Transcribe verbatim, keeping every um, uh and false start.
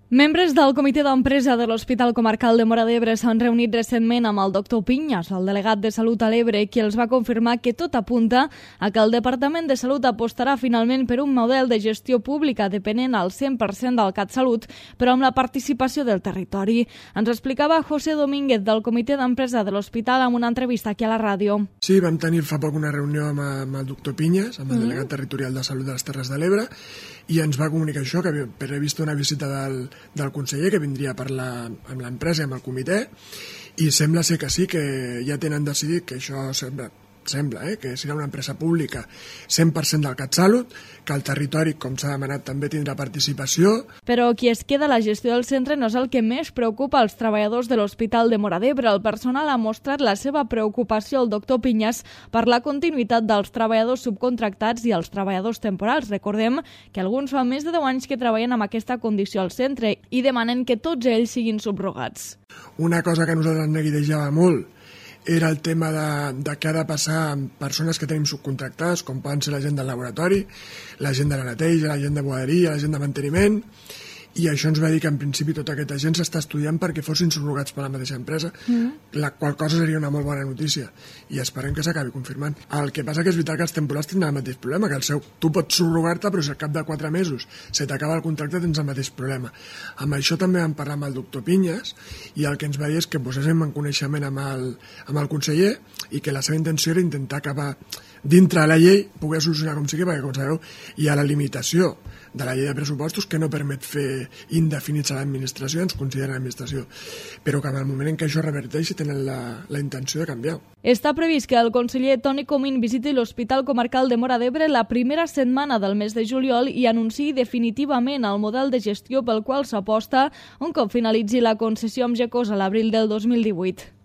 Membres del comitè d'empresa de l'Hospital Comarcal de Móra d'Ebre s'han reunit recentment amb el doctor Piñas, el delegat de Salut a l'Ebre, qui els va confirmar que tot apunta a que el Departament de Salut apostarà finalment per un model de gestió pública depenent al cent per cent del CatSalut, però amb la participació del territori. Ens explicava José Domínguez del comitè d'empresa de l'Hospital en una entrevista aquí a la ràdio. Sí, vam tenir fa poc una reunió amb, amb el doctor Piñas, amb el delegat territorial de Salut de les Terres de l'Ebre, i ens va comunicar això, que havia previst una visita del del conseller que vindria a parlar amb l'empresa i amb el comitè, i sembla ser que sí, que ja tenen decidit que això sembla, sembla eh, que serà una empresa pública cent per cent del CatSalut, que el territori, com s'ha demanat, també tindrà participació. Però qui es queda a la gestió del centre no és el que més preocupa als treballadors de l'Hospital de Móra d'Ebre. El personal ha mostrat la seva preocupació al doctor Piñas per la continuïtat dels treballadors subcontractats i els treballadors temporals. Recordem que alguns fa més de deu anys que treballen amb aquesta condició al centre i demanen que tots ells siguin subrogats. Una cosa que a nosaltres ens neguitejava molt era el tema de, de què ha de passar amb persones que tenim subcontractades, com poden ser la gent del laboratori, la gent de la neteja, la gent de bugaderia, la gent de manteniment, i això ens va dir que en principi tota aquesta gent s'està estudiant perquè fossin subrogats per la mateixa empresa, mm. la qual cosa seria una molt bona notícia, i esperem que s'acabi confirmant. El que passa que és veritat que els temporals tindran el mateix problema, que el seu, tu pots subrogar-te, però si al cap de quatre mesos se t'acaba el contracte tens el mateix problema. Amb això també vam parlar amb el doctor Piñas, i el que ens va dir és que poséssim en coneixement amb el, amb el conseller i que la seva intenció era intentar acabar dintre de la llei, poder solucionar com sigui, perquè com sabeu hi ha la limitació de la llei de pressupostos que no permet fer indefinits a l'administració, ens consideren l'administració, però que en el moment en què això reverteixi tenen la, la intenció de canviar. Està previst que el conseller Toni Comín visiti l'Hospital Comarcal de Móra d'Ebre la primera setmana del mes de juliol i anunciï definitivament el model de gestió pel qual s'aposta un cop finalitzi la concessió amb Gecosa a l'abril del dos mil divuit.